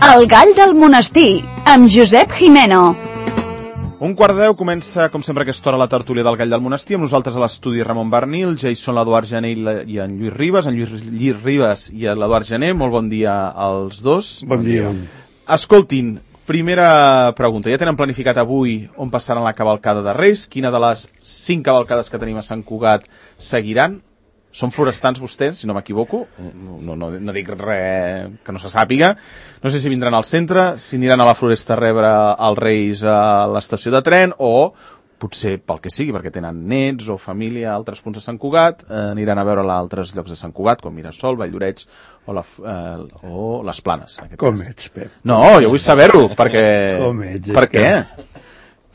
El gall del monestir, amb Josep Jimeno. 11:45 comença, com sempre, aquesta hora la tertúlia del gall del monestir, amb nosaltres a l'estudi Ramon Bernil, Jason, l'Eduard Gené i en Lluís Ribas. En Lluís Ribas i l'Eduard Gené, molt bon dia als dos. Bon dia. Escoltin, primera pregunta. Ja tenen planificat avui on passaran la cavalcada de Reis? Quina de les 5 cavalcades que tenim a Sant Cugat seguiran? Són forestans vostès, si no m'equivoco? No dic res que no se sàpiga. No sé si vindran al centre, si aniran a la Floresta a rebre els Reis a l'estació de tren, o potser pel que sigui, perquè tenen nets o família a altres punts de Sant Cugat, aniran a veure-la a altres llocs de Sant Cugat, com Mirasol, Valldoreix o les Planes. Com ets, Pep? No, jo vull saber-ho, perquè... Com ets? Per què?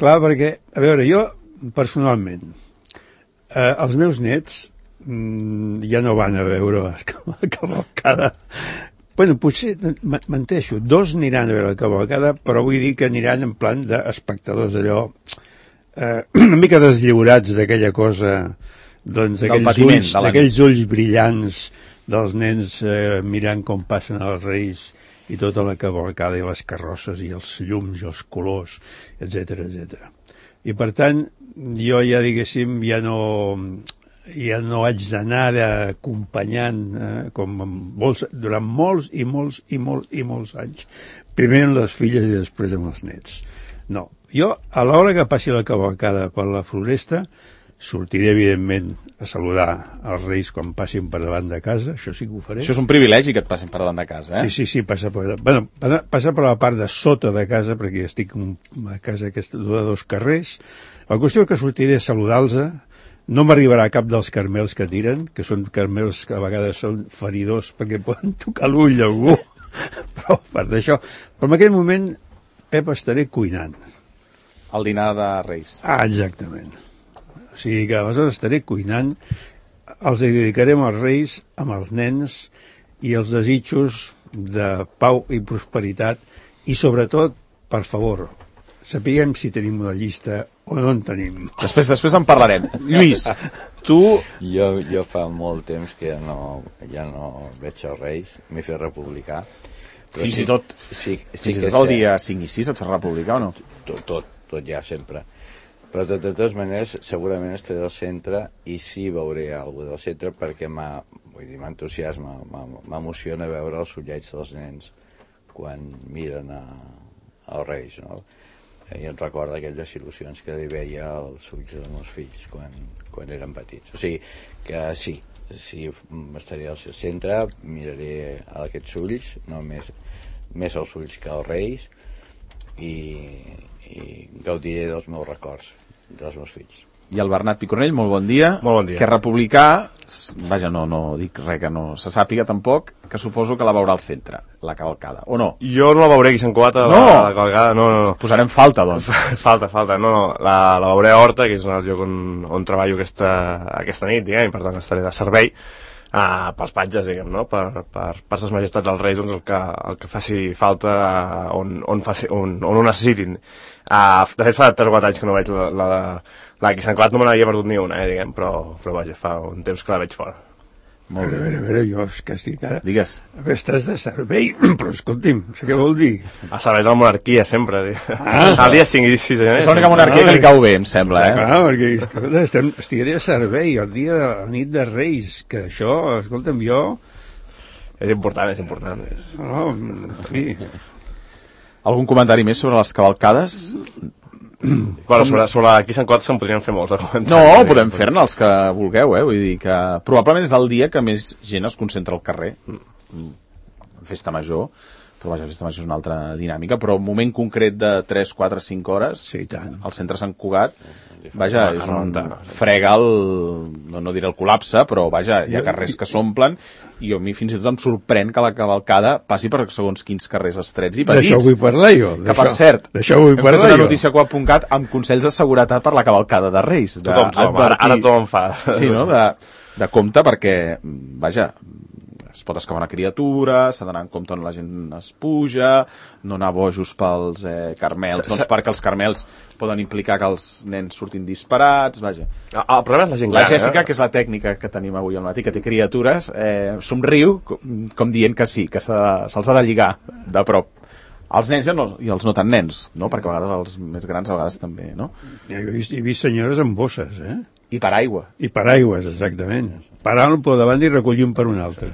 Clar, perquè, a veure, jo, personalment, els meus nets ja no van a veure la cavalcada. Bueno, potser, menteixo, 2 aniran a veure la cavalcada, però vull dir que aniran en plan d'espectadors, allò, una mica deslliurats d'aquella cosa, doncs, d'aquells ulls brillants dels nens mirant com passen els Reis i tota la cavalcada i les carrosses i els llums i els colors, etc etc. I per tant, jo ja, diguéssim, ja no haig d'anar acompanyant durant molts anys. Primer amb les filles i després amb els nets. No, jo, a l'hora que passi la cavalcada per la Floresta, sortiré, evidentment, a saludar els Reis quan passin per davant de casa, això sí que ho faré. Això és un privilegi que et passin per davant de casa, eh? Sí, passa per la part de sota de casa, perquè estic a casa aquesta de 2 carrers. La qüestió és que sortiré a saludar-los. No m'arribarà cap dels carmels que tiren, que són carmels que a vegades són feridors perquè poden tocar l'ull d'algú, però per d'això. Però en aquell moment, Pep, estaré cuinant. El dinar de Reis. Ah, exactament. O sigui que aleshores estaré cuinant, els dedicarem als Reis, amb els nens, i els desitjos de pau i prosperitat, i sobretot, per favor, sapiguem si tenim una llista o no en tenim. Després en parlarem. Lluís, tu... Jo fa molt temps que ja no veig els Reis, m'he fet republicà. Fins i tot el dia 5 i 6 et fas republicà o no? Tot ja, sempre. Però de totes maneres, segurament estaré al centre i sí veuré alguna del centre perquè m'entusiasma, m'emociona veure els ullets dels nens quan miren als Reis, no? I em recorda aquelles il·lusions que li veia als ulls dels meus fills quan eren petits. O sigui que sí, estaré al centre, miraré aquests ulls, no més els ulls que els Reis, i gaudiré dels meus records, dels meus fills. I el Bernat Picornell, molt bon dia. Molt bon dia. Que republicà, vaja, no dic res que no se sàpiga tampoc, que suposo que la veurà al centre, la cavalcada, o no? Jo no la veuré aquí a Sant Cugat, la cavalcada, no. Posarem falta, doncs. Falta, no, la veuré a Horta, que és el lloc on treballo aquesta nit, diguem, i per tant estaré de servei pels patges, diguem, no? Per ses majestats als Reis, doncs el que faci falta on ho necessitin. De fet, fa 3 o 4 anys que no veig la que Sant Cugat, no me n'havia perdut ni una, diguem, però vaja, fa un temps que la veig fora. Molt bé. A veure, jo és que estic ara... Digues. Estàs de servei, però escolti'm, no sé què vol dir. A servei de la monarquia, sempre. El dia 5 i 6 de gener. És l'única monarquia que li cau bé, em sembla, eh? Clar, perquè estiré a servei el dia de la nit de Reis, que això, escolta'm, jo... És important. No, en fi... Algun comentari més sobre les cavalcades? Bueno, sobre aquí a Sant Cugat se'n podrien fer molts de comentaris. No, podem fer-ne els que vulgueu, vull dir que probablement és el dia que més gent es concentra al carrer. Festa major, però vaja, festa major és una altra dinàmica, però un moment concret de 3, 4, 5 hores, sí, tant. Al centre Sant Cugat, vaja, és on frega no diré el col·lapse, però vaja, hi ha carrers que s'omplen, i a mi fins i tot em sorprèn que la cavalcada passi per segons quins carrers estrets i petits. D'això vull parlar jo. Que per cert, hem fet una notícia Coap.cat amb consells de seguretat per la cavalcada de Reis. Ara tothom fa. Sí, no? De compte, perquè, vaja, es pot escapar una criatura, s'ha d'anar en compte on la gent es puja, no anar bojos pels carmels, doncs perquè els carmels poden implicar que els nens surtin disparats, vaja. El problema és la gent gran. La Jèssica, que és la tècnica que tenim avui al matí, que té criatures, somriu com dient que sí, que se'ls ha de lligar de prop. Els nens i els no tan nens, no? Perquè a vegades els més grans a vegades també, no? He vist senyores amb bosses, I per aigua. I per aigües, exactament. Parant per davant i recollint per un altre.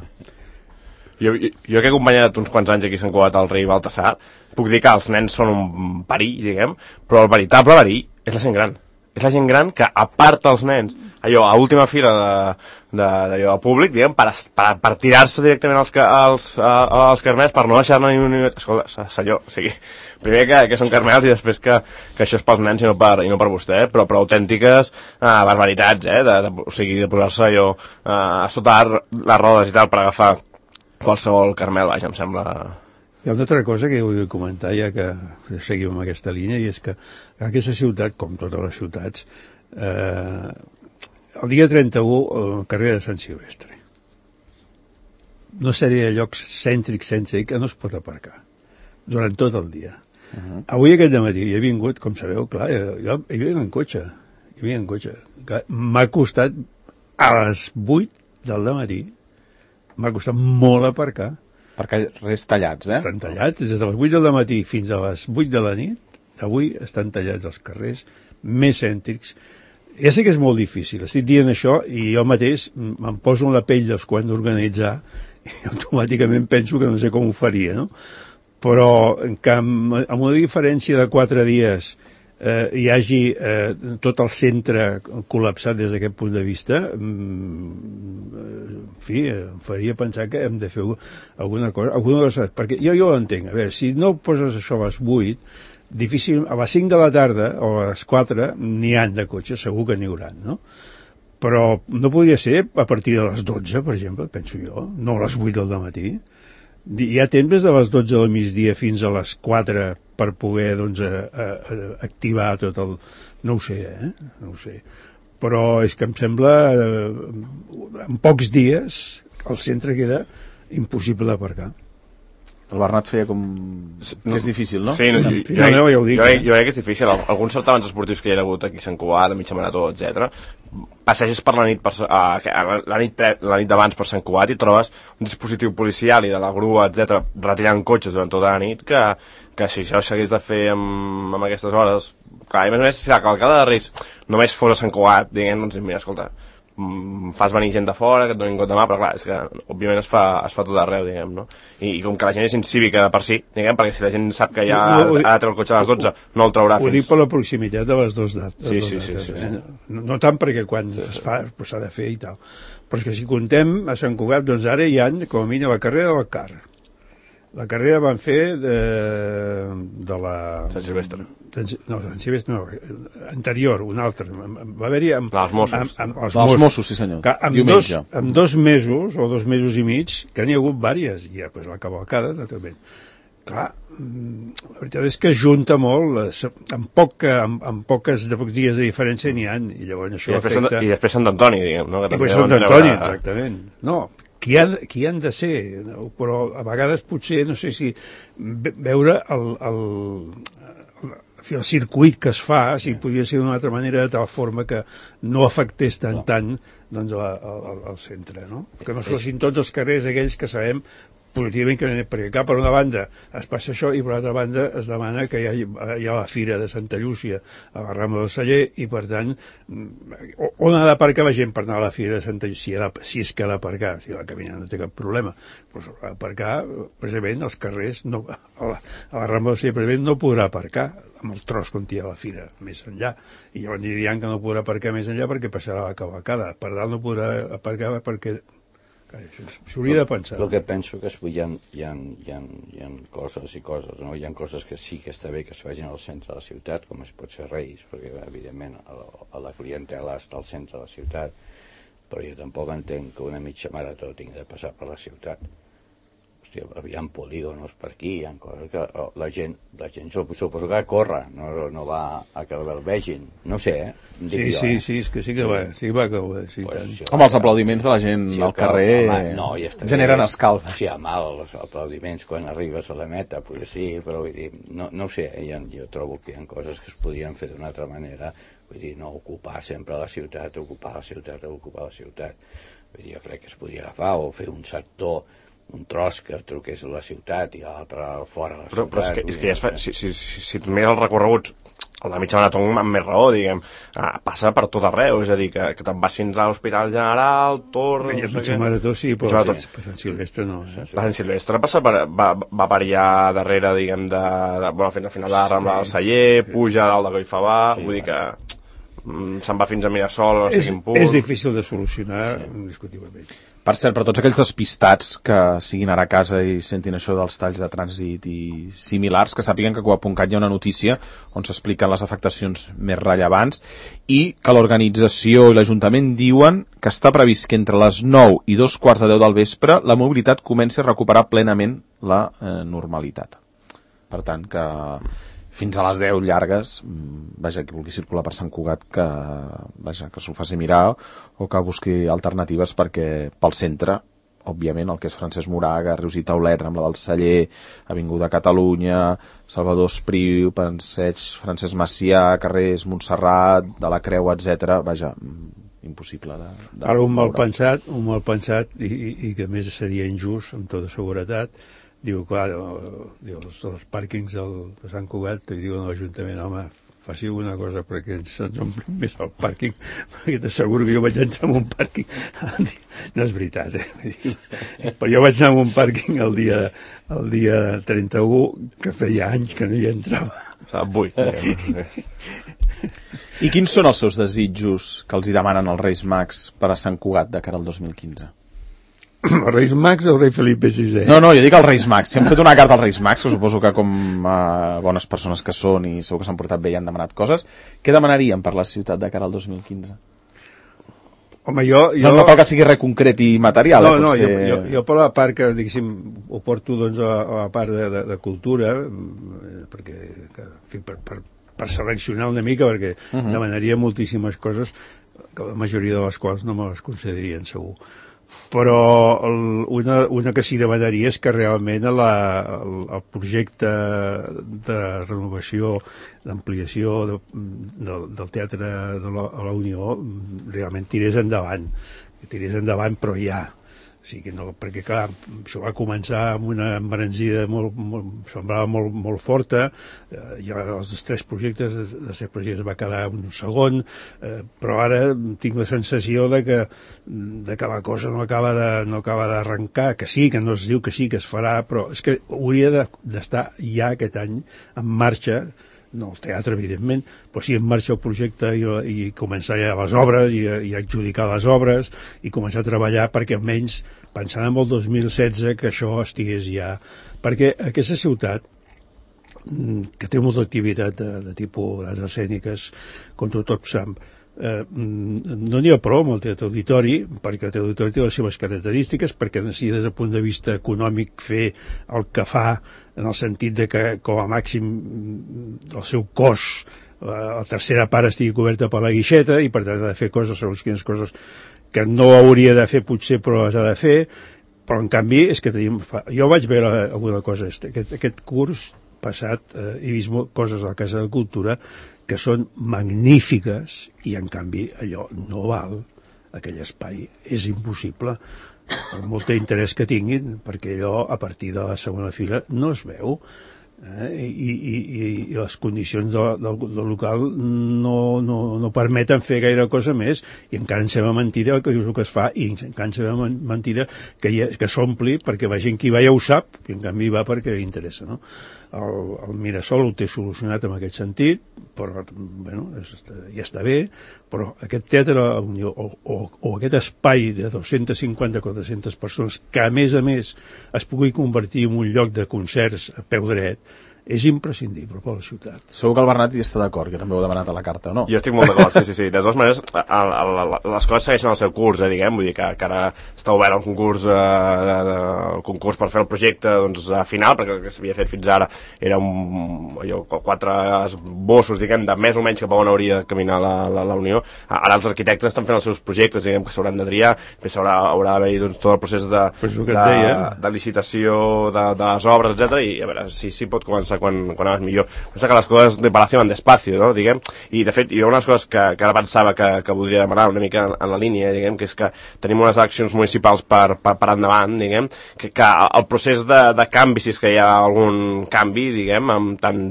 Jo que he acompanyat uns quants anys aquí a Sant Cugat al rei Baltasar, puc dir que els nens són un perill, diguem, però el veritable perill és la gent gran. És la gent gran que aparta els nens allò a última fila d'allò públic, diguem, per tirar-se directament als carmels, per no deixar-ne ni un minut. Escolta, senyor, o sigui, primer que són carmels i després que això és pels nens i no per vostè, però autèntiques barbaritats, o sigui, de posar-se allò sota les rodes i tal per agafar qualsevol carmel, vaja, em sembla... Hi ha una altra cosa que vull comentar, ja que seguim amb aquesta línia, i és que aquesta ciutat, com totes les ciutats, el dia 31, el carrer de Sant Silvestre. Una sèrie de llocs cèntrics que no es pot aparcar durant tot el dia. Avui aquest dematí he vingut, com sabeu, clar, jo hi vinc en cotxe. M'ha costat a les 8 del dematí, m'ha costat molt aparcar. Perquè res tallats, Estan tallats, des de les 8 del matí fins a les 8 de la nit, avui estan tallats els carrers més cèntrics. Ja sé que és molt difícil, estic dient això i jo mateix em poso en la pell dels que ho han d'organitzar i automàticament penso que no sé com ho faria, no? Però que amb una diferència de 4 dies hi hagi tot el centre col·lapsat des d'aquest punt de vista, en fi, em faria pensar que hem de fer alguna cosa, perquè jo ho entenc. A veure, si no poses això a les 8, difícil, a les 5 de la tarda o a les 4 n'hi han de cotxes, segur que n'hi hauran, no? Però no podria ser a partir de les 12, per exemple, penso jo, no a les 8 del matí. Hi ha temps des de les 12 del migdia fins a les 4 per poder, doncs, activar tot el... No ho sé, no ho sé. Però és que em sembla, en pocs dies, el centre queda impossible d'aparcar. El Bernat feia com... que és difícil, no? Sí, jo crec que és difícil. Alguns certàmens esportius que hi ha hagut aquí a Sant Cugat, a mitja marató, etc. Passeges per la nit la nit d'abans per Sant Cugat i trobes un dispositiu policial i de la grua, etc, retirant cotxes durant tota la nit que si això s'hagués de fer amb aquestes hores... Clar, i a més si la cavalcada de Reis només fos a Sant Cugat, diguem, doncs mira, escolta, fas venir gent de fora, que et donin compte de mà, però clar, és que òbviament es fa tot arreu, diguem, no? I com que la gent és incívica per si, diguem, perquè si la gent sap que ja ha de treure el cotxe a les 12, no el traurà fins... Ho dic per la proximitat de les dues dates. Sí. No tant perquè quan es fa s'ha de fer i tal, però és que si contem a Sant Cugat, doncs ara hi ha, com a mínim, la carrera del CAR. La carrera van fer de la... Sant Silvestre. No, Sant Silvestre no, anterior, un altre. Va haver-hi amb els Mossos. Els Mossos, sí senyor. Amb 2 mesos, o 2 mesos i mig, que n'hi ha hagut vàries, i ja, pues, la cavalcada, naturalment. Clar, la veritat és que junta molt, amb pocs dies de diferència n'hi ha, i llavors això afecta... I després Sant Antoni, diguem, no? I després Sant Antoni, exactament. No, qui han de ser, però a vegades potser, no sé si veure el circuit que es fa, si podria ser d'una altra manera, de tal forma que no afectés tant doncs, al centre, no? Que no fossin tots els carrers aquells que sabem positivament que perquè per una banda es passa això i per l'altra banda es demana que hi ha la fira de Santa Llúcia a la Rambla del Celler i per tant on ha d'aparcar la gent per anar a la fira de Santa Llúcia si és que ha d'aparcar, si la camina no té cap problema, doncs ha d'aparcar precisament als carrers a la Rambla del Celler precisament no podrà aparcar amb el tros on hi ha la fira més enllà i llavors diran que no podrà aparcar més enllà perquè passarà la cavalcada, per dalt no podrà aparcar perquè s'hauria de pensar. El que penso que hi ha coses i coses, no? Hi ha coses que sí que està bé que es facin al centre de la ciutat, com es pot ser Reis, perquè evidentment la clientela està al centre de la ciutat, però jo tampoc entenc que una mitja marató tingui de passar per la ciutat. Hòstia, hi ha polígonos per aquí, hi ha coses que la gent suposo que corre, no va a que el vegin, no sé, Sí, és que sí que va, que ho és, Home, els aplaudiments de la gent al carrer generen escalf. Sí, mal, els aplaudiments quan arribes a la meta, potser sí, però vull dir, no sé, jo trobo que hi ha coses que es podien fer d'una altra manera, vull dir, no ocupar sempre la ciutat, ocupar la ciutat. Vull dir, jo crec que es podria agafar o fer un sector un tros que truqués a la ciutat i l'altre fora de la ciutat. Però és que ja es fa, si et mires els recorreguts, el de mitja marató amb més raó, diguem, passa per tot arreu, és a dir, que te'n vas fins a l'Hospital General, tornes... I mitja marató sí, però Sant Silvestre no. La Sant Silvestre va per allà darrere, diguem, fins al final de la Rambla del Celler, puja a dalt de Collfabà, vull dir que se'n va fins a Mirasol, no sé quin punt... És difícil de solucionar, indiscutiblement. Per cert, per tots aquells despistats que siguin ara a casa i sentin això dels talls de trànsit i similars, que sàpiguen que a Cuap.cat hi ha una notícia on s'expliquen les afectacions més rellevants i que l'organització i l'Ajuntament diuen que està previst que entre les 9 i 2:15 del vespre la mobilitat comenci a recuperar plenament la normalitat. Per tant, que fins a les 10 llargues, vaja, qui vulgui circular per Sant Cugat, que s'ho faci mirar o que busqui alternatives, perquè pel centre, òbviament, el que és Francesc Moraga, Rius i Taulet, Rambla del Celler, Avinguda Catalunya, Salvador Espriu, Passeig Francesc Macià, carrers Montserrat, de la Creu, etc. Vaja, impossible de ara un mal pensat i que a més seria injust, amb tota seguretat. Diu, clar, els pàrquings de Sant Cugat, i diuen a l'Ajuntament, home, faci alguna cosa perquè ens omplin més el pàrquing, perquè t'asseguro que jo vaig entrar en un pàrquing. No és veritat, però jo vaig anar en un pàrquing el dia 31, que feia anys que no hi entrava. Avui. I quins són els seus desitjos que els hi demanen els Reis Mags per a Sant Cugat de cara al 2015? Els Reis Mags o el rei Felipe VI? No, jo dic els Reis Mags. Si hem fet una carta als Reis Mags, que suposo que com bones persones que són i segur que s'han portat bé i han demanat coses, què demanarien per la ciutat de cara al 2015? Home, jo... No cal que sigui res concret i material. Jo per la part que, diguéssim, ho porto doncs, a la part de cultura, perquè, en fi, per seleccionar una mica, perquè demanaria moltíssimes coses, que la majoria de les quals no me les concederien, segur. Però una que sí demanaria és que realment el projecte de renovació, d'ampliació del Teatre de la Unió realment tirés endavant, però ja. O sigui, no, perquè clar, això va començar amb una embranzida semblava molt forta, i els 3 projectes, de 7 projectes va quedar un segon, però ara tinc la sensació de que la cosa no acaba d'arrencar, que sí, que no es diu que sí, que es farà, però és que hauria d'estar ja aquest any en marxa, no el teatre, evidentment, però sí en marxa el projecte i començar ja les obres i adjudicar les obres i començar a treballar perquè almenys pensant en el 2016 que això estigués ja... Perquè aquesta ciutat, que té molta activitat de tipus d'arts escèniques, com tothom sap, no n'hi ha prou amb el Teatre Auditori, perquè el Teatre Auditori té les seves característiques, perquè necessita des del punt de vista econòmic fer el que fa, en el sentit de que com a màxim el seu cos, la tercera part estigui coberta per la guixeta i per tant ha de fer coses, segons quines coses que no hauria de fer potser però les ha de fer, però en canvi és que tenim... Jo vaig veure alguna cosa aquest curs passat, he vist coses a la Casa de Cultura que són magnífiques i en canvi allò no val aquell espai, és impossible per molt interès que tinguin, perquè allò a partir de la segona fila no es veu, i les condicions del local no permeten fer gaire cosa més, i encara ens sembla mentida que dius el que es fa, i encara ens sembla mentida que s'ompli perquè la gent que hi va ja ho sap, i en canvi va perquè li interessa, no? El Mirasol ho té solucionat en aquest sentit, però bueno, ja està bé, però aquest teatre o aquest espai de 250-400 persones que a més es pugui convertir en un lloc de concerts a peu dret és imprescindible per la ciutat. Segur que el Bernat hi està d'acord, que també ho ha demanat a la carta, o no? Jo estic molt d'acord, sí. De totes maneres, les coses segueixen el seu curs, diguem, vull dir que ara està obert el concurs per fer el projecte final, perquè el que s'havia fet fins ara era 4 esbossos, diguem, de més o menys cap a on hauria de caminar la Unió. Ara els arquitectes estan fent els seus projectes, diguem, que s'hauran de triar, després haurà d'haver-hi tot el procés de licitació de les obres, etc. I a veure si pot començar passa quan anaves millor. Pensa que les coses de Palacio van despacio, no? Diguem, i de fet hi ha unes coses que ara pensava que voldria demanar una mica en la línia, diguem, que és que tenim unes eleccions municipals per endavant, diguem, que el procés de canvi, si és que hi ha algun canvi, diguem, amb tant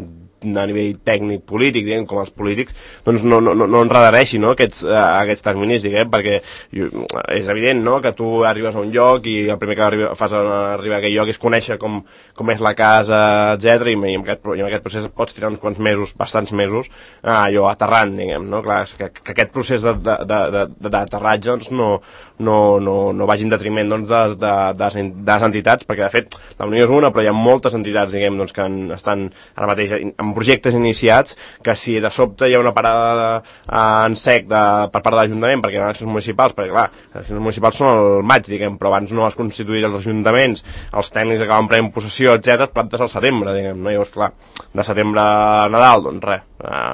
a nivell tècnic polític, diguem, com els polítics, doncs no enredareixi, no, aquests terminis, diguem, perquè és evident, no, que tu arribes a un lloc i el primer que fas arribar a aquell lloc és conèixer com és la casa, etc. i en aquest procés pots tirar uns quants mesos, bastants mesos, allò aterrant, diguem, no? Clar, que aquest procés d'aterratge doncs, no vagi en detriment doncs, de les entitats, perquè de fet la Unió és una, però hi ha moltes entitats, diguem, doncs, que estan ara mateix amb projectes iniciats, que si de sobte hi ha una parada en sec per part de l'Ajuntament perquè hi ha eleccions municipals, perquè clar, les eleccions municipals són al maig, diguem, però abans no es constituït els ajuntaments, els tècnics acaben prenent possessió, etc., plantes al setembre, diguem, no? Llavors, clar, de setembre a Nadal, doncs res,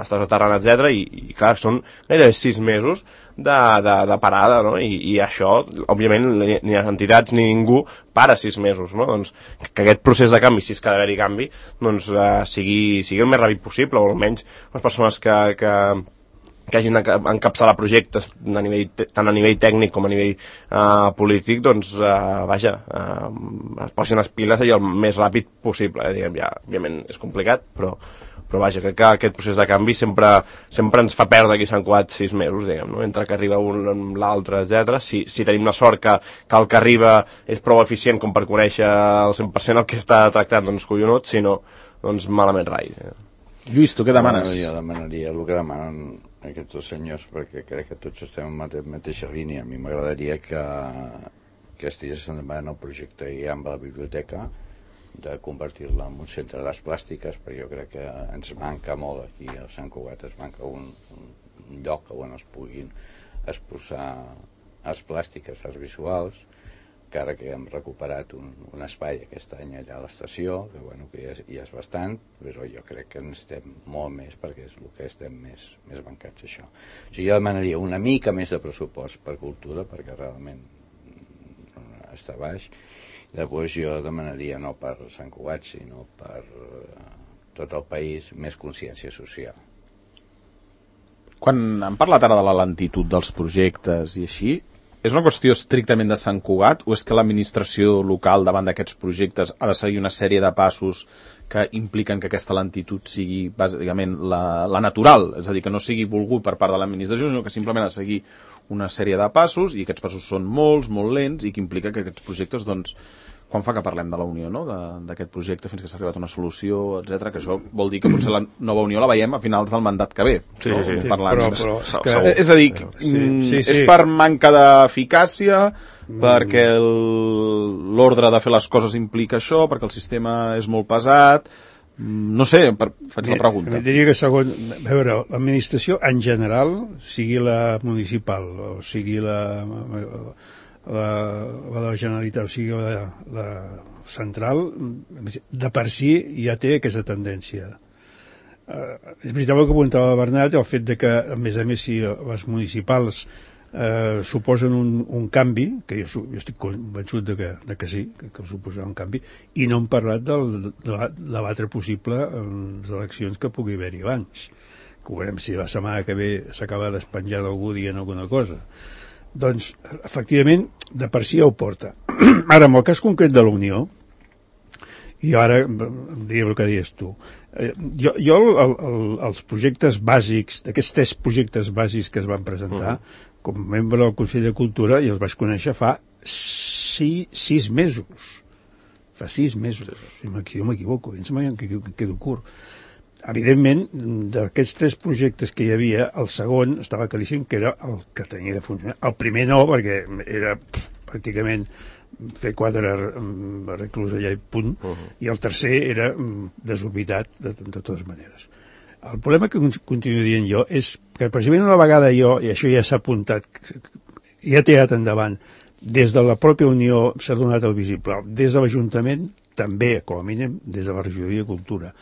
estàs aterrant, etc., i clar, són gairebé 6 mesos de parada, no? I això, òbviament, ni les entitats ni ningú para 6 mesos, no? Doncs que aquest procés de canvi, si és que ha d'haver-hi canvi, doncs sigui el més ràpid possible, o almenys les persones que hagin d'encapçalar projectes tant a nivell tècnic com a nivell polític, doncs, es posin les piles allò el més ràpid possible, diguem, ja, òbviament és complicat, però vaja, crec que aquest procés de canvi sempre ens fa perdre aquí Sant Cugat 6 mesos, diguem, no? Entre que arriba un amb l'altre, etc. Si tenim la sort que el que arriba és prou eficient com per conèixer al 100% el que està tractant, doncs collonut, si no, doncs malament rai. Lluís, tu què demanes? Jo demanaria el que demanen aquests dos senyors, perquè crec que tots estem en la mateixa línia. A mi m'agradaria que estigués endavant el projecte amb la biblioteca, de convertir-la en un centre d'arts plàstiques, perquè jo crec que ens manca molt aquí a Sant Cugat, es manca un lloc on es puguin exposar arts plàstiques, arts visuals, que ara que hem recuperat un espai aquest any allà a l'estació, que bueno, que ja és bastant, però jo crec que estem molt més, perquè és el que estem més mancats, això. O sigui, jo demanaria una mica més de pressupost per cultura, perquè realment està baix. Després jo demanaria, no per Sant Cugat, sinó per tot el país, més consciència social. Quan hem parlat ara de la lentitud dels projectes i així, és una qüestió estrictament de Sant Cugat o és que l'administració local davant d'aquests projectes ha de seguir una sèrie de passos que impliquen que aquesta lentitud sigui bàsicament la natural, és a dir, que no sigui volgut per part de l'administració, sinó que simplement ha de seguir una sèrie de passos i aquests passos són molt lents i que implica que aquests projectes, doncs, quan fa que parlem de la Unió, no? D'aquest projecte fins que s'ha arribat a una solució, etc., que això vol dir que potser la nova Unió la veiem a finals del mandat que ve. Sí, no? sí. Però és a dir, és per manca d'eficàcia, perquè l'ordre de fer les coses implica això, perquè el sistema és molt pesat. No sé, faig la pregunta. Diria que a veure, l'administració en general, sigui la municipal o sigui la Generalitat, o sigui la central, de per si ja té aquesta tendència. És veritat el que apuntava Bernat, el fet de que, a més, si les municipals suposen un canvi, que jo estic convençut de que sí, que suposarà un canvi, i no hem parlat de l'altre possible eleccions que pugui haver-hi abans, que veurem si la setmana que ve s'acaba despenjant algú dient alguna cosa. Doncs, efectivament, de per si ja ho porta. Ara, en el cas concret de la Unió, i ara diria el que deies tu, jo els projectes bàsics, d'aquests 3 projectes bàsics que es van presentar, com a membre del Consell de Cultura, i els vaig conèixer fa 6 mesos. Fa 6 mesos, si jo m'equivoco, em sembla que quedo curt. Evidentment, d'aquests 3 projectes que hi havia, el segon estava claríssim que era el que tenia de funcionar. El primer no, perquè era pràcticament fer quadre reclus allà i punt, i el tercer era desorbitat de totes maneres. El problema que continuo dient jo és que precisament una vegada jo, i això ja s'ha apuntat, ja he tirat endavant, des de la pròpia Unió s'ha donat el visible, des de l'Ajuntament també, com a mínim, des de la Regidoria de Cultura.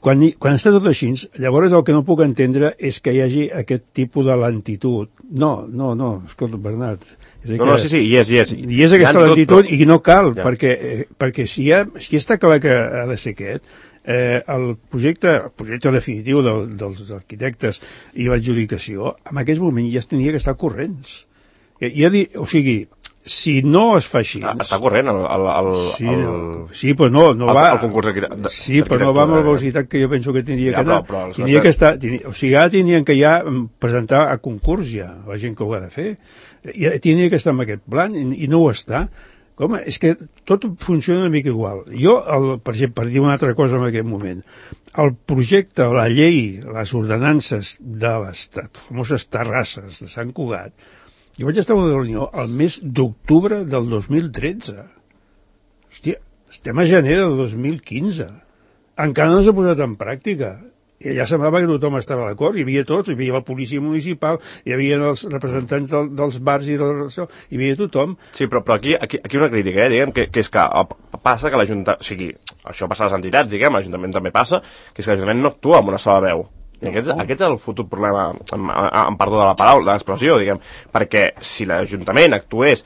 Quan està tot així, llavors el que no puc entendre és que hi hagi aquest tipus de lentitud. No, escolta, Bernat. Sí, hi és. Hi és aquesta lentitud i no cal, perquè si està clar que ha de ser aquest, el projecte definitiu dels arquitectes i l'adjudicació, en aquest moment ja es tenia que estar corrents. O sigui, si no es fa així... Està corrent sí, però no va... El concurs d'arquitectura. Sí, però no va amb la velocitat que jo penso que tindria que anar. Tindria que estar... O sigui, ara tenien que ja presentar a concurs ja, la gent que ho ha de fer. Ja tindria que estar en aquest plan i no ho està. Home, és que tot funciona una mica igual. Jo, per exemple, per dir una altra cosa en aquest moment, el projecte, la llei, les ordenances de les famoses terrasses de Sant Cugat, jo vaig estar a una reunió el mes d'octubre del 2013. Hòstia, estem a gener del 2015. Encara no s'ha posat en pràctica. I ja semblava que tothom estava d'acord, hi havia tots, hi havia la policia municipal, hi havia els representants dels bars i de hi havia tothom. Sí, però aquí una crítica, diguem, que és que passa que l'Ajuntament, o sigui, això passa a les entitats, diguem, l'Ajuntament també passa, que és que l'Ajuntament no actua amb una sola veu. I aquest és el futur problema, amb perdó de la paraula, de l'expressió, diguem, perquè si l'Ajuntament actués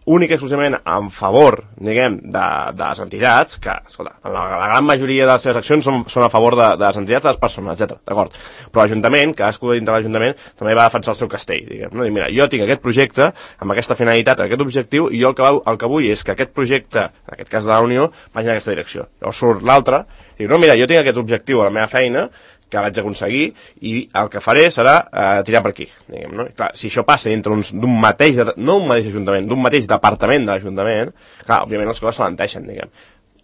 únic i exclusivament en favor, diguem, de les entitats, que, escolta, la gran majoria de les seves accions són a favor de les entitats, de les persones, etc. D'acord? Però l'Ajuntament, cadascú dintre l'Ajuntament, també va defensar el seu castell, diguem, no? I mira, jo tinc aquest projecte, amb aquesta finalitat, aquest objectiu, i jo el que vull és que aquest projecte, en aquest cas de la Unió, vagi en aquesta direcció. Llavors surt l'altre, i diu, no, mira, jo tinc aquest objectiu a la meva feina, que vaig aconseguir, i el que faré serà tirar per aquí, diguem, no? I clar, si això passa dintre d'un mateix, no un mateix ajuntament, d'un mateix departament de l'Ajuntament, clar, òbviament les coses s'alenteixen, diguem.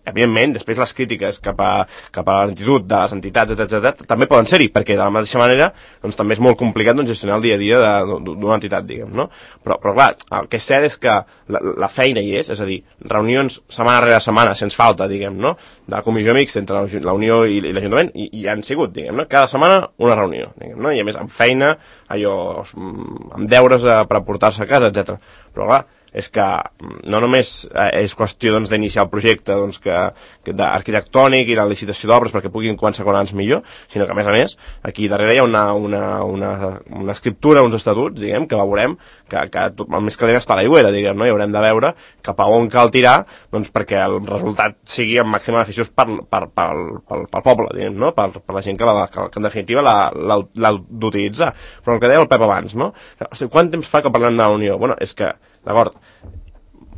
Evidentment, després les crítiques cap a l'actitud de les entitats, etc., també poden ser-hi, perquè de la mateixa manera doncs, també és molt complicat doncs, gestionar el dia a dia d'una entitat, diguem, no? Però clar, el que és cert és que la feina hi és a dir, reunions setmana rere setmana, sense falta, diguem, no? De la comissió mixta entre la Unió i l'Ajuntament, i han sigut, diguem, no? Cada setmana una reunió, diguem, no? I a més amb feina, amb deures per aportar-se a casa, etc. Però clar, és que no només és qüestió doncs, d'iniciar el projecte doncs, arquitectònic i la licitació d'obres perquè puguin començar quan abans millor, sinó que a més aquí darrere hi ha una escriptura, uns estatuts, diguem, que veurem que el més calent està a l'aigüera, diguem, no? I haurem de veure cap a on cal tirar doncs, perquè el resultat sigui amb màxim beneficiós pel poble, diguem, no? Per la gent que en definitiva l'ha d'utilitzar. Però el que deia el Pep abans, no? Hosti, quant temps fa que parlem de la Unió? Bueno, és que d'acord,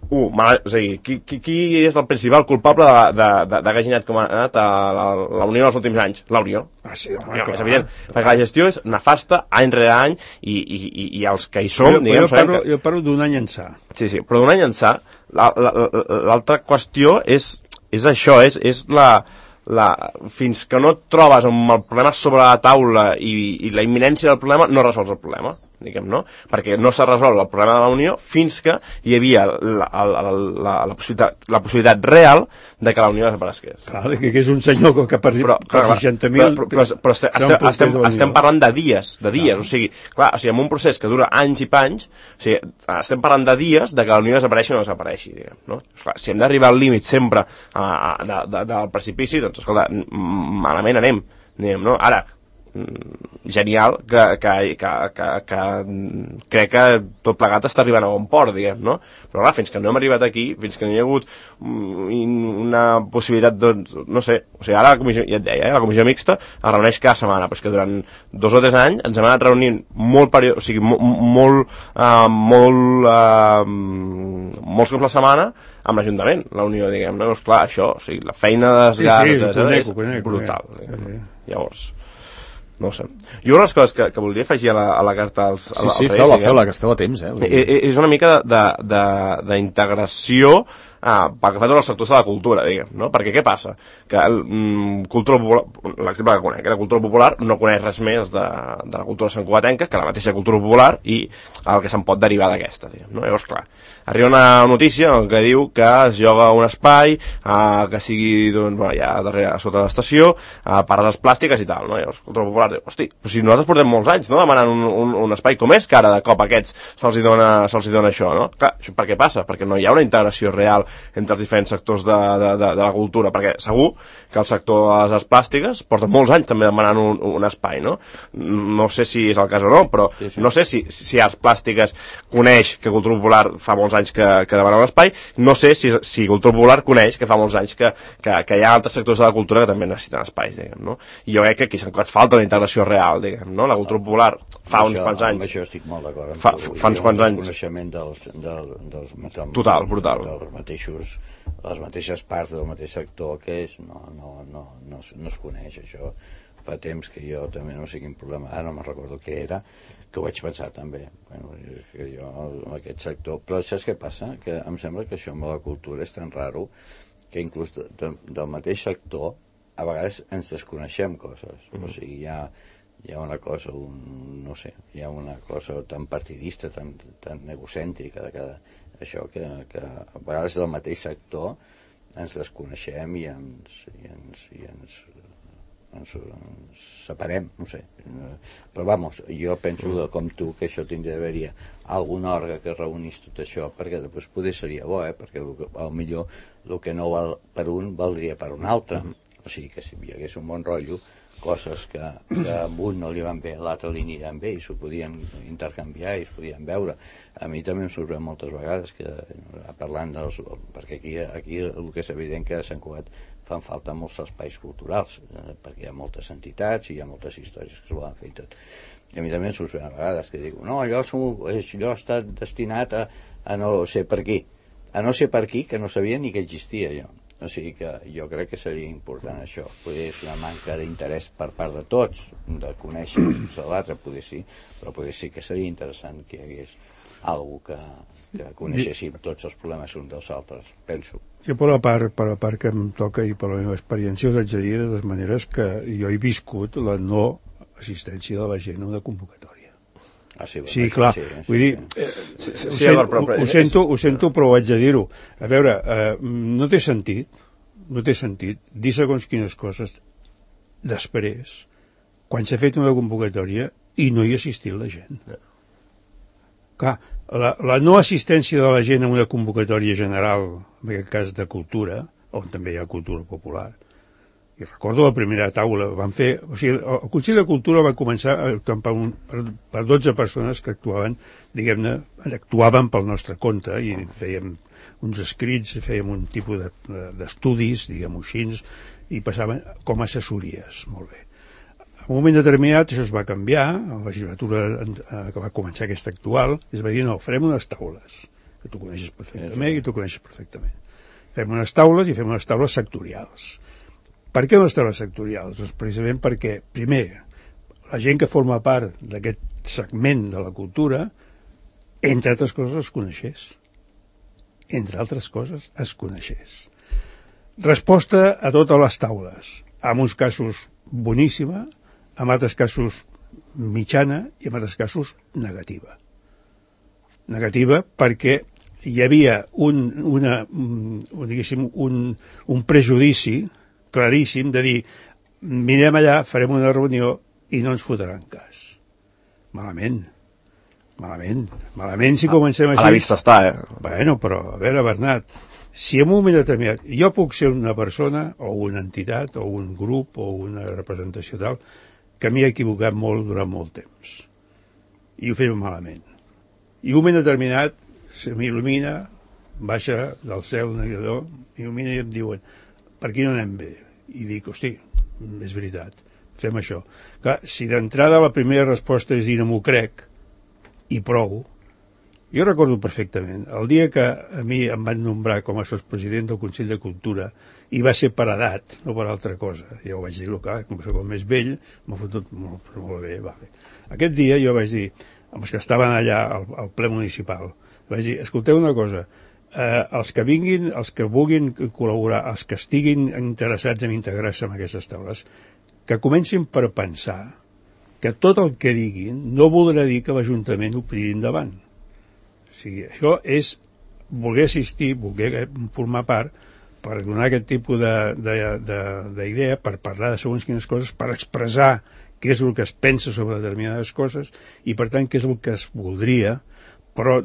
és a dir, qui és el principal culpable d'haver generat com ha anat la Unió els últims anys? La Unió. Sí, és evident, perquè la gestió és nefasta any rere any i els que hi som, diguem... Jo parlo d'un any ençà. Sí, però d'un any ençà, l'altra qüestió és això, és fins que no et trobes amb el problema sobre la taula i la imminència del problema, no resols el problema, diguem, no? Perquè no s'ha resolt el problema de la Unió fins que hi havia la possibilitat real de que la Unió desaparegués. Clar, que és un senyor que per 60.000... Però estem parlant de dies, o sigui, clar, en un procés que dura anys i panys, o sigui, estem parlant de dies de que la Unió desapareixi o no desapareixi, diguem, no? Clar, si hem d'arribar al límit sempre del precipici, doncs, escolta, malament anem, diguem, no? Ara, genial que crec que tot plegat està arribant a bon port, diguem, no? Però clar, fins que no hem arribat aquí, fins que no hi ha hagut una possibilitat, doncs, no sé, o sigui, ara la comissió, ja et deia, la comissió mixta es reuneix cada setmana, però és que durant 2 o 3 anys ens hem anat reunint molts cops la setmana amb l'Ajuntament, la Unió, diguem, no? Doncs clar, això, o sigui, la feina de desgast és brutal, diguem. Llavors, no ho sé. Jo una de les coses que voldria afegir a la carta als Reis... Sí, feu-la, que esteu a temps, és una mica d'integració pel que fa a tots els sectors de la cultura, diguem, no? Perquè què passa? Que cultura popular, l'exemple que conec, la cultura popular no coneix res més de la cultura santcugatenca que la mateixa cultura popular i el que se'n pot derivar d'aquesta, diguem, no? Llavors, clar, arriba una notícia que diu que es lloga un espai que sigui, doncs, ja darrere, sota l'estació, per a les plàstiques i tal, no? Llavors, cultura popular diu, hosti, però si nosaltres portem molts anys, no?, demanant un espai, com és que ara de cop a aquests se'ls hi dona això, no? Clar, això per què passa? Perquè no hi ha una integració real entre els diferents sectors de la cultura, perquè segur que el sector de les arts plàstiques porta molts anys també demanant un espai, no? No sé si és el cas o no, però no sé si Arts Plàstiques coneix que Cultura Popular fa molts anys que demana un espai, no sé si Cultura Popular coneix que fa molts anys que hi ha altres sectors de la cultura que també necessiten espais, diguem, no? I jo crec que aquí s'ha falta una integració real, diguem, no? La Cultura Popular fa uns quants anys. Amb això estic molt d'acord. Fa uns quants anys. El coneixement dels Total, brutal. Les mateixes parts del mateix sector que és, no es coneix, això. Fa temps que jo també no sé quin problema, ara no me'n recordo què era, que ho vaig pensar també, bueno, que jo en aquest sector, però saps què passa? Que em sembla que això amb la cultura és tan raro que inclús del mateix sector a vegades ens desconeixem coses, o sigui, hi ha una cosa, no sé, hi ha una cosa tan partidista, tan egocèntrica de cada això, que a vegades del mateix sector ens desconeixem i ens separem, no sé. Però vamos, jo penso com tu que això tindria d'haver-hi algun òrgan que reunís tot això, perquè després poder seria bo, perquè potser el que no val per un valdria per un altre. O sigui que si hi hagués un bon rotllo, coses que a un no li van bé, a l'altre li aniran bé i s'ho podien intercanviar i es podien veure. A mi també em sorprèn moltes vegades que, parlant perquè aquí el que és evident que a Sant Cugat fan falta molts espais culturals, perquè hi ha moltes entitats i hi ha moltes històries que es volen fer i tot. I a mi també em sorprèn a vegades que dic, no, allò està destinat a no sé per qui, que no sabia ni que existia allò. O sigui que jo crec que seria important això. Potser és una manca d'interès per part de tots, de conèixer l'altre, potser sí, però potser sí que seria interessant que hi hagués algú que coneixéssim tots els problemes uns dels altres, penso. Jo per la part que em toca i per la meva experiència us haig de dir de totes maneres que jo he viscut la no assistència de la gent a una convocatòria. Sí, clar, vull dir, ho sento, però ho haig de dir-ho. A veure, no té sentit dir segons quines coses després, quan s'ha fet una convocatòria i no hi ha assistit la gent. Clar, la no assistència de la gent a una convocatòria general, en aquest cas de cultura, on també hi ha cultura popular, i recordo la primera taula, van fer, o sigui, el Consell de Cultura va començar per 12 persones que actuaven, diguem-ne, actuaven pel nostre compte i fèiem uns escrits, fèiem un tipus d'estudis, diguem-ho així, i passaven com a assessories, molt bé. En un moment determinat això es va canviar, a la legislatura que va començar aquesta actual, es va dir, no, farem unes taules, que tu coneixes perfectament i tu coneixes perfectament. Fem unes taules i fem unes taules sectorials. Per què unes taules sectorials? Doncs precisament perquè, primer, la gent que forma part d'aquest segment de la cultura, entre altres coses, es coneixés. Entre altres coses, es coneixés. Resposta a totes les taules. En uns casos boníssima, en altres casos mitjana i en altres casos negativa. Negativa perquè hi havia un prejudici claríssim de dir, mirem allà, farem una reunió i no ens fotran cas. Malament si comencem així. A la vista està, Bueno, però, a veure, Bernat, si en un moment determinat jo puc ser una persona o una entitat o un grup o una representació tal que m'hi he equivocat molt durant molt temps i ho fem malament i un moment determinat se m'il·lumina, baixa del cel un navegador, m'il·lumina i em diuen per aquí no anem bé. I dic, hosti, és veritat, fem això. Clar, si d'entrada la primera resposta és dir no m'ho crec, i prou, jo recordo perfectament, el dia que a mi em van nombrar com a sotspresident del Consell de Cultura, i va ser per edat, no per altra cosa, ja ho vaig dir, clar, com que soc més vell, m'ha fotut molt bé, va bé. Aquest dia jo vaig dir, amb els que estaven allà al ple municipal, vaig dir, escolteu una cosa, els que vinguin, els que vulguin col·laborar, els que estiguin interessats en integrar-se en aquestes taules, que comencin per pensar que tot el que diguin no voldrà dir que l'Ajuntament ho tiri endavant. O sigui, això és voler assistir, voler formar part, per donar aquest tipus d'idea, per parlar de segons quines coses, per expressar què és el que es pensa sobre determinades coses i, per tant, què és el que es voldria Però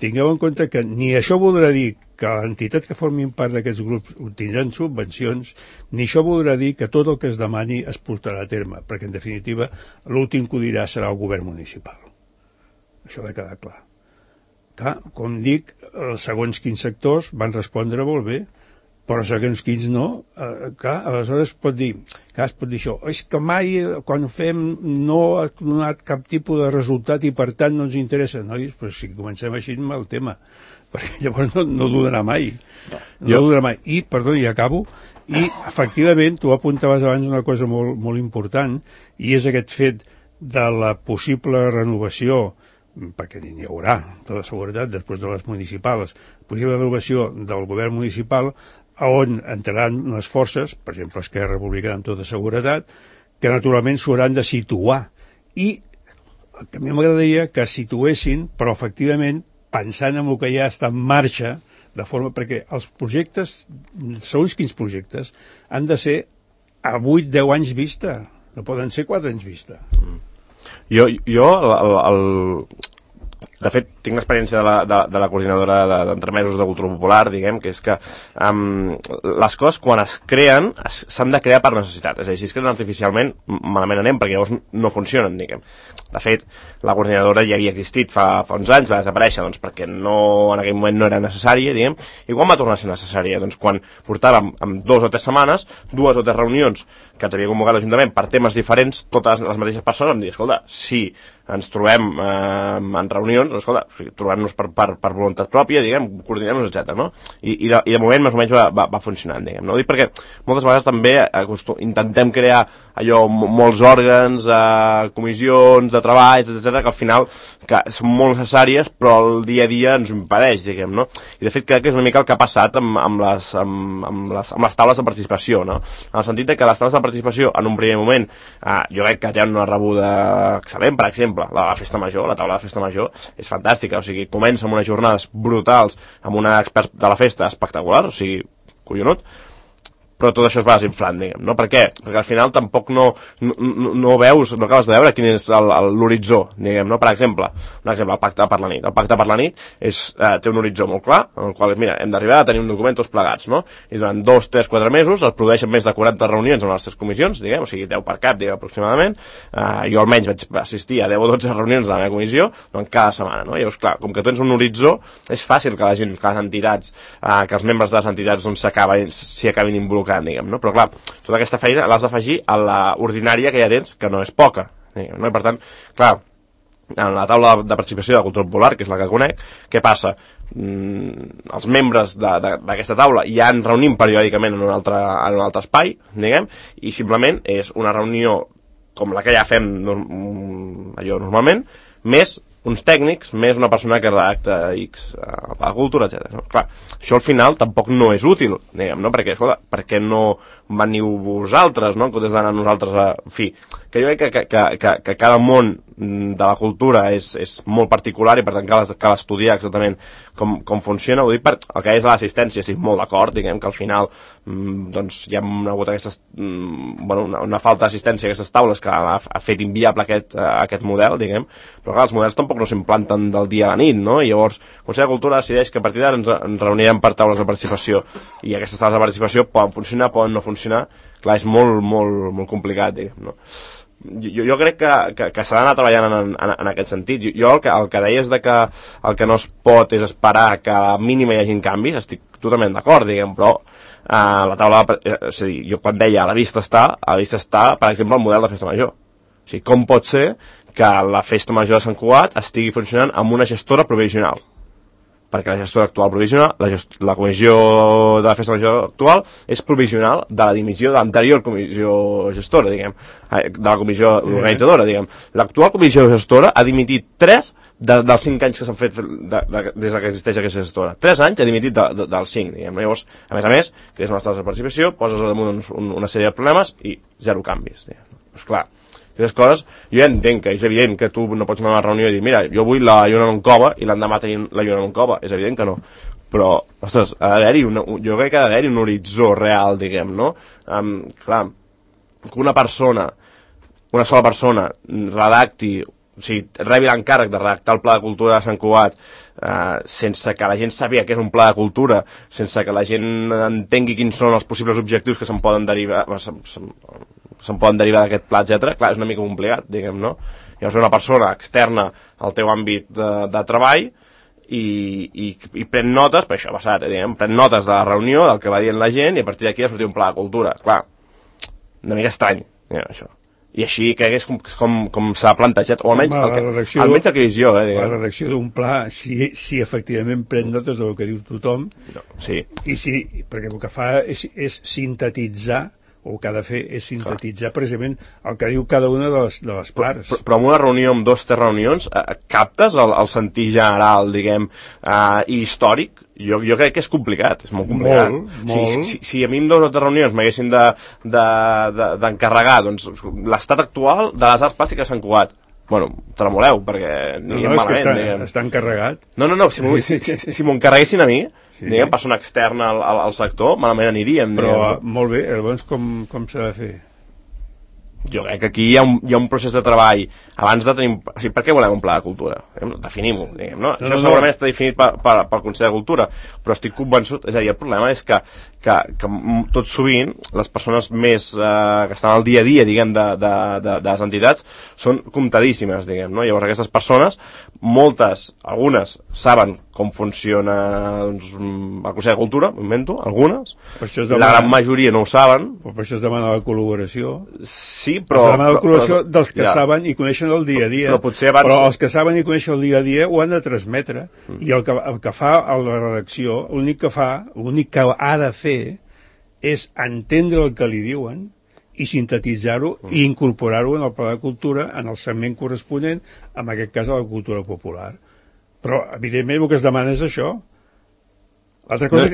tingueu en compte que ni això voldrà dir que l'entitat que formin part d'aquests grups tindran subvencions, ni això voldrà dir que tot el que es demani es portarà a terme, perquè en definitiva l'últim que ho dirà serà el govern municipal. Això ha de quedar clar. Clar, com dic, segons quins sectors van respondre molt bé, però segons quins no. Clar, aleshores es pot dir això, és que mai quan ho fem no ha donat cap tipus de resultat i per tant no ens interessa. Nois, però si comencem així el tema, perquè llavors no durarà mai. No durarà mai. I, perdó, i acabo, i efectivament tu apuntaves abans una cosa molt, molt important, i és aquest fet de la possible renovació, perquè n'hi haurà, tota seguretat, després de les municipals, possible renovació del govern municipal, on entraran les forces, per exemple Esquerra Republicana amb tota seguretat, que naturalment s'ho hauran de situar. I a mi m'agradaria que es situessin, però efectivament pensant en el que ja està en marxa, de forma perquè els projectes, segons quins projectes, han de ser a 8-10 anys vista, no poden ser 4 anys vista. De fet, tinc l'experiència de la coordinadora d'entremesos de cultura popular, diguem, que és que les coses, quan es creen, s'han de crear per necessitat. És a dir, si es creen artificialment, malament anem, perquè llavors no funcionen, diguem. De fet, la coordinadora ja havia existit fa uns anys, va desaparèixer, doncs, perquè en aquell moment no era necessària, diguem, i quan va tornar a ser necessària? Doncs quan portàvem en 2 o 3 setmanes, 2 o 3 reunions que ens havia convocat l'Ajuntament per temes diferents, totes les mateixes persones, em deia, escolta, si ens trobem en reunions, escolta, trobem-nos per voluntat pròpia, diguem, coordinem-nos, etc. No? I de moment més o menys va funcionant, diguem. No? Ho dic perquè moltes vegades també intentem crear allò, molts òrgans, comissions de treball, etc., que al final que són molt necessàries, però el dia a dia ens ho impedeix, diguem, no? I de fet crec que és una mica el que ha passat amb les taules de participació, no? En el sentit que les taules de participació, en un primer moment, jo crec que tenen una rebuda excel·lent, per exemple, la festa major, la taula de festa major és fantàstica, o sigui, comença amb unes jornades brutals, amb una expert de la festa espectacular, o sigui, collonut, però tot això es va desinflant, diguem, no? Per què? Perquè al final tampoc no veus, no acabes de veure quin és l'horitzó, diguem, no? Per exemple, el pacte per la nit. El pacte per la nit té un horitzó molt clar, en el qual, mira, hem d'arribar a tenir un document tots plegats, no? I durant 2, 3, 4 mesos es produeixen més de 40 reunions en les 3 comissions, diguem, o sigui, 10 per cap, diguem, aproximadament. Jo almenys vaig assistir a 10 o 12 reunions de la meva comissió, doncs cada setmana, no? I llavors, clar, com que tens un horitzó, és fàcil que la gent, que les entitats, que els membres de les entitats doncs, s'hi acabin involucrant, diguem, no? Però clar, tota aquesta feina l'has d'afegir a l'ordinària que ja tens, que no és poca, diguem, no? I per tant, clar, en la taula de participació de cultura popular, que és la que conec, què passa? Els membres d'aquesta taula ja ens reunim periòdicament en un altre espai, diguem, i simplement és una reunió com la que ja fem allò normalment, més uns tècnics, més una persona que redacta X a la cultura, etc. No? Clar, això al final tampoc no és útil, diguem, no? Perquè, escolta, per què no veniu vosaltres, no? En comptes d'anar nosaltres a... En fi, que jo crec que cada món de la cultura és molt particular i per tant cal estudiar exactament com funciona. Ho dic per el que és l'assistència, estic molt d'acord, diguem que al final doncs hi ha hagut una falta d'assistència a aquestes taules que ha fet inviable aquest model, diguem, però clar, els models tampoc no s'implanten del dia a la nit, no? I llavors el Consell de Cultura decideix que a partir d'ara ens reunirem per taules de participació i aquestes taules de participació poden funcionar, poden no funcionar. Clar, és molt, molt, molt complicat, diguem, no? Jo crec que s'ha d'anar treballant en aquest sentit. Jo el que deia és que el que no es pot és esperar que a la mínima hi hagi canvis, estic totalment d'acord, diguem, però la taula, és a dir, jo quan deia a la vista està, per exemple, el model de festa major. O sigui, com pot ser que la festa major de Sant Cugat estigui funcionant amb una gestora provisional? Perquè la gestora actual provisional, la comissió de la festa major actual és provisional de la dimissió de l'anterior comissió gestora, diguem, de la comissió organitzadora, diguem. L'actual comissió gestora ha dimitit 3 dels 5 anys que s'han fet des que existeix aquesta gestora. 3 anys ha dimitit dels 5, diguem. Llavors, a més, crees unes taules de participació, poses al damunt una sèrie de problemes i 0 canvis, diguem. Doncs clar, aquestes coses, jo ja entenc que és evident que tu no pots anar a una reunió i dir, mira, jo vull la lluna Moncova i l'endemà tenir la lluna Moncova, és evident que no, però, ostres, jo crec que ha d'haver-hi un horitzó real, diguem, no? Clar, que una sola persona redacti rebi l'encàrrec de redactar el Pla de Cultura de Sant Cugat sense que la gent sàpiga què és un pla de cultura, sense que la gent entengui quins són els possibles objectius que se'n poden derivar d'aquest pla, etc. Clar, és una mica complicat, diguem, no? Llavors una persona externa al teu àmbit de treball i pren notes, per això ha passat, diguem, pren notes de la reunió, del que va dient la gent, i a partir d'aquí ha sortit un pla de cultura. Clar, una mica estrany, això. I així crec que és com s'ha plantejat, o almenys el que he vist jo. La redacció d'un pla, si efectivament pren notes del que diu tothom, sí. I sí, perquè el que fa és sintetitzar, o el que ha de fer és sintetitzar precisament el que diu cada una de les parts. Però en una reunió, amb 2 o 3 reunions, captes el sentit general, diguem, i històric? Jo crec que és complicat, és molt complicat. Molt. Si a mi en 2 o 3 reunions m'haguessin d'encarregar l'estat actual de les arts plàstiques de Sant Cugat, bueno, tremoleu, perquè aniríem malament. Està encarregat. No, si m'ho encarreguessin a mi, diguem, persona externa al sector, malament aniríem. Però, molt bé, llavors com s'ha de fer? Jo crec que aquí hi ha un procés de treball abans de tenir... O sigui, per què volem un pla de cultura? Definim-ho, diguem, no? Això segurament està definit pel Consell de Cultura, però estic convençut... És a dir, el problema és que tot sovint les persones més que estan al dia a dia, diguem, de les entitats són comptadíssimes, diguem, no? Llavors aquestes persones, algunes saben com funciona el Consell de Cultura, m'invento, algunes, la gran majoria no ho saben. Per això es demana la col·laboració. Sí, però... Es demana la col·laboració dels que saben i coneixen el dia a dia. Però els que saben i coneixen el dia a dia ho han de transmetre. I el que fa a la redacció, l'únic que ha de fer és entendre el que li diuen i sintetitzar-ho i incorporar-ho en el Pla de Cultura, en el segment corresponent, en aquest cas a la cultura popular. Però, evidentment, el que es demana és això. L'altra cosa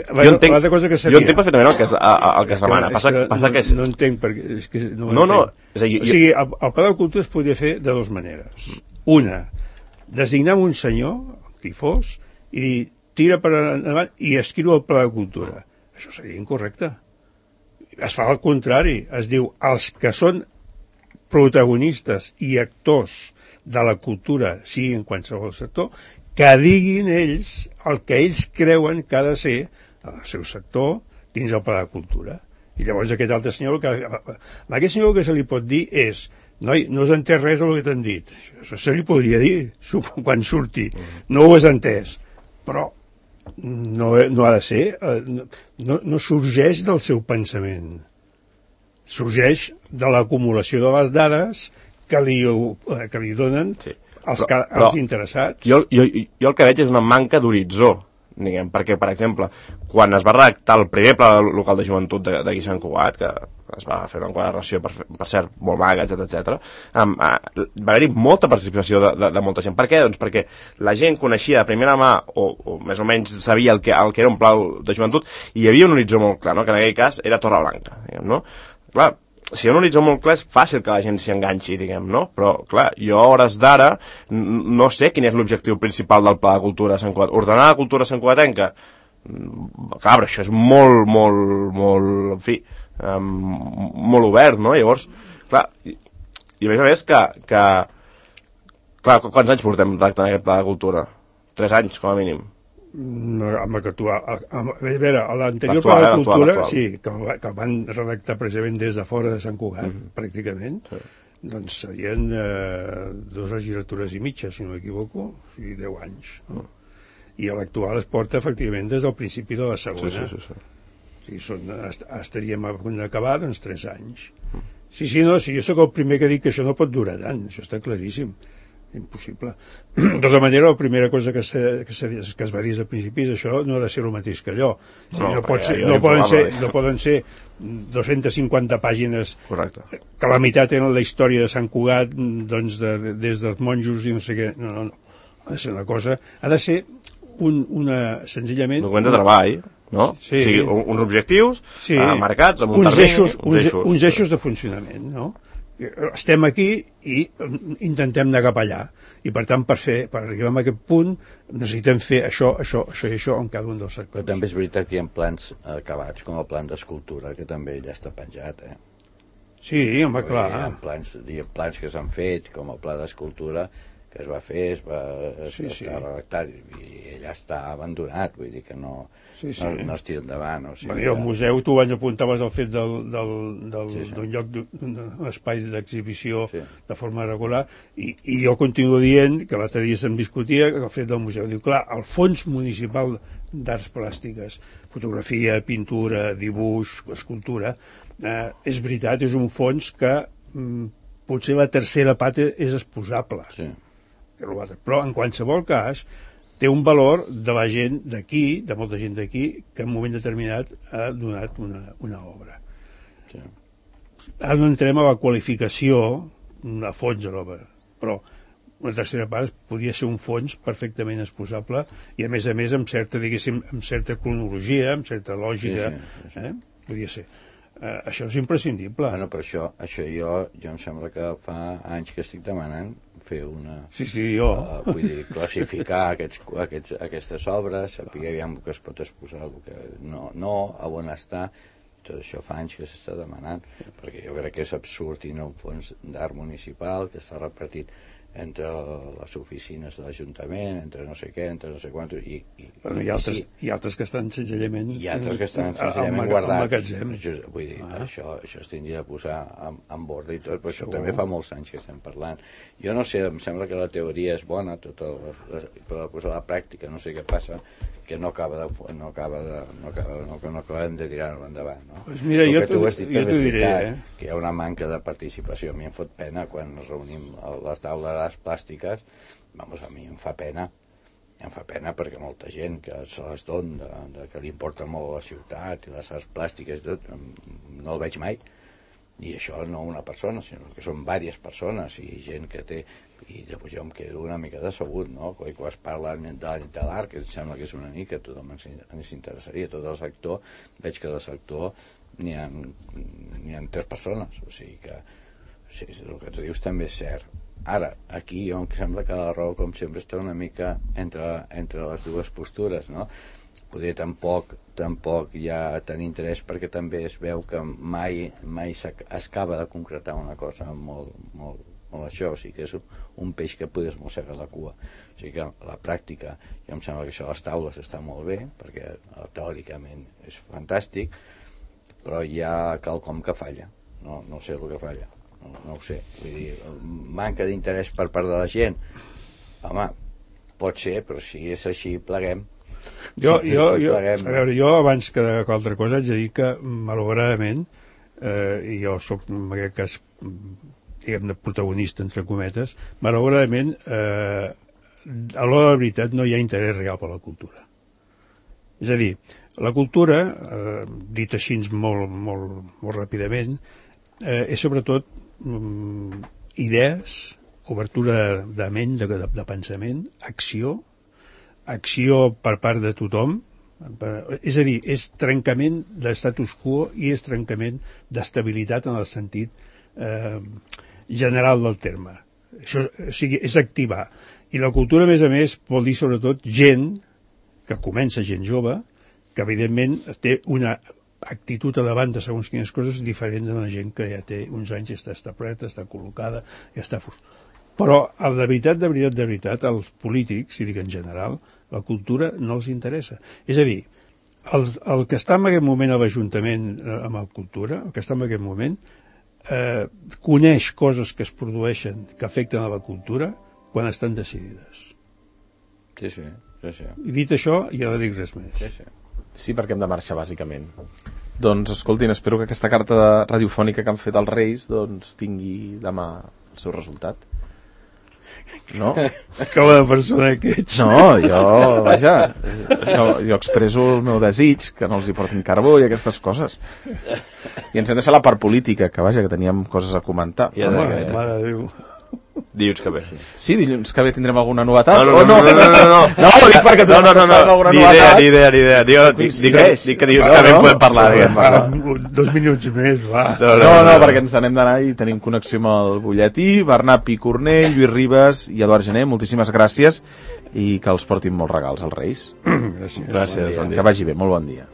que seria... Jo entenc perfectament el que es demana. No entenc perquè... No. O sigui, el Pla de Cultura es podria fer de 2 maneres. Una, designar un senyor, qui fos, i tira per endavant i escriu el Pla de Cultura. Això seria incorrecte. Es fa al contrari. Es diu, els que són protagonistes i actors de la cultura, sigui en qualsevol sector, que diguin ells el que ells creuen que ha de ser el seu sector dins el Pla de Cultura. I llavors aquest altre senyor, aquest senyor el que se li pot dir és: noi, no has entès res del que t'han dit. Això se li podria dir quan surti. No ho has entès. Però no ha de ser, no sorgeix del seu pensament. Sorgeix de l'acumulació de les dades que li donen els interessats. Jo el que veig és una manca d'horitzó, diguem, perquè, per exemple, quan es va redactar el primer pla local de joventut d'aquí Sant Cugat, que es va fer una enquadració, per cert, molt maga, etc., va haver-hi molta participació de molta gent. Per què? Doncs perquè la gent coneixia de primera mà, o més o menys sabia el que era un pla de joventut, i hi havia un horitzó molt clar, no? Que en aquell cas era Torreblanca, diguem, no? Clar, si hi ha un horitzó molt clar és fàcil que la gent s'hi enganxi, diguem, no? Però, clar, jo a hores d'ara no sé quin és l'objectiu principal del Pla de Cultura de Sant Cugat. Ordenar la cultura santcugatenca? Clar, però això és molt, en fi, molt obert, no? Llavors, clar, i a més que clar, quants anys portem redactant aquest Pla de Cultura? 3 anys, com a mínim. A veure, l'anterior Pla de Cultura, sí, que van redactar precisament des de fora de Sant Cugat, pràcticament, doncs serien 2 legislatures i mitja, si no m'equivoco, o sigui, 10 anys. I l'actual es porta, efectivament, des del principi de la segona. Sí. Estaríem a punt d'acabar, doncs, 3 anys. Sí, no, jo sóc el primer que dic que això no pot durar tant, això està claríssim. Impossible. De tota manera, la primera cosa que es va dir al principi és això no ha de ser el mateix que allò. No poden ser 250 pàgines. Correcte. Que la meitat eren la història de Sant Cugat, doncs, des dels monjos i no sé què. No. Ha de ser una cosa... Ha de ser senzillament... Un document de treball, no? Sí. O sigui, uns objectius marcats amb un termini. Uns eixos de funcionament, no? Estem aquí i intentem anar cap allà, i per tant per arribar a aquest punt necessitem fer això i això en cada un dels sectors. Però també és veritat que hi ha plans acabats, com el plan d'escultura, que també ja està penjat, Sí, home, clar. Hi ha plans que s'han fet, com el pla d'escultura, que es va fer, està redactat, i ella està abandonat, vull dir que no es tira endavant. O sigui, el museu, tu abans apuntaves el fet d'un lloc, d'un espai d'exhibició de forma regular, i jo continuo dient, que l'altre dia se'm discutia, que el fet del museu, diu, clar, el fons municipal d'arts plàstiques, fotografia, pintura, dibuix, escultura, és veritat, és un fons que potser la tercera pata és exposable. Però en qualsevol cas té un valor de la gent d'aquí, de molta gent d'aquí, que en un moment determinat ha donat una obra. Ara no entrem a la qualificació a fons de l'obra, però una tercera part podria ser un fons perfectament exposable i a més amb certa, diguéssim, amb certa cronologia, amb certa lògica, podria ser. Això és imprescindible. Bueno, per això jo em sembla que fa anys que estic demanant fer una... jo. Vull dir, classificar aquestes obres, saber aviam que es pot exposar, que no, a on està. Tot això fa anys que s'està demanant, perquè jo crec que és absurd tenir un fons d'art municipal que està repartit entre les oficines de l'Ajuntament, entre no sé què, entre no sé quant... Hi ha altres que estan senzillament... Hi ha altres que estan senzillament guardats. Vull dir, això es tindria de posar en borda i tot, però això també fa molts anys que estem parlant. Jo no sé, em sembla que la teoria és bona, però posar la pràctica no sé què passa, que no acabem de tirar-ho endavant. Pues mira, jo t'ho diré, que hi ha una manca de participació. A mi em fot pena quan ens reunim a la taula d'arts plàstiques, a mi em fa pena perquè molta gent que se les dona, que li importa molt la ciutat i les arts plàstiques i tot, no el veig mai. I això no una persona, sinó que són diverses persones i gent que té... I llavors jo em quedo una mica decebut, no? Quan es parla de l'art, que em sembla que és una mica, a tothom ens interessaria, tot el sector, veig que del sector n'hi ha 3 persones, o sigui que el que tu dius també és cert. Ara, aquí jo em sembla que la raó, com sempre, està una mica entre les dues postures, no? Poder tampoc hi ha tant interès perquè també es veu que mai s'acaba de concretar una cosa molt això, o sigui que és un peix que podes mossegar la cua. O sigui que la pràctica, jo em sembla que això a les taules està molt bé, perquè teòricament és fantàstic, però hi ha quelcom que falla, no sé el que falla, no ho sé. Vull dir, manca d'interès per part de la gent, home, pot ser, però si és així, pleguem. Jo, abans que altra cosa, haig de dir que, malauradament, i jo soc, en aquest cas, diguem-ne, protagonista, entre cometes, malauradament, a l'hora de la veritat, no hi ha interès real per la cultura. És a dir, la cultura, dit així molt ràpidament, és sobretot idees, obertura de ment, de pensament, acció per part de tothom, és a dir, és trencament de status quo i és trencament d'estabilitat en el sentit general del terme. Això, o sigui, és activar. I la cultura, a més, vol dir sobretot gent, que comença gent jove, que evidentment té una actitud a davant de segons quines coses diferent de la gent que ja té uns anys i està establerta, està col·locada, ja està... Però, de veritat, als polítics, i dic en general, la cultura no els interessa. És a dir, el que està en aquest moment a l'Ajuntament amb la cultura, el que està en aquest moment, coneix coses que es produeixen que afecten a la cultura quan estan decidides. Sí. I dit això, ja no dic res més. Sí, perquè hem de marxar, bàsicament. Doncs, escoltin, espero que aquesta carta radiofònica que han fet els Reis doncs tingui demà el seu resultat. No? Com de persona que ets. No, jo expreso el meu desig, que no els hi portin carbó i aquestes coses. I ens hem deixat la part política, que vaja, que teníem coses a comentar. Mare de Déu. Dilluns que ve. Sí, dilluns que ve tindrem alguna novetat? No, ho dic perquè tu alguna novetat. Ni idea. Dic que dilluns que ve podem parlar. 2 minuts més, va. No, perquè ens n'hem d'anar i tenim connexió amb el butlletí. Bernat Picornell, Lluís Ribas i Eduard Gené, moltíssimes gràcies i que els portin molts regals als Reis. Gràcies. Que vagi bé, molt bon dia.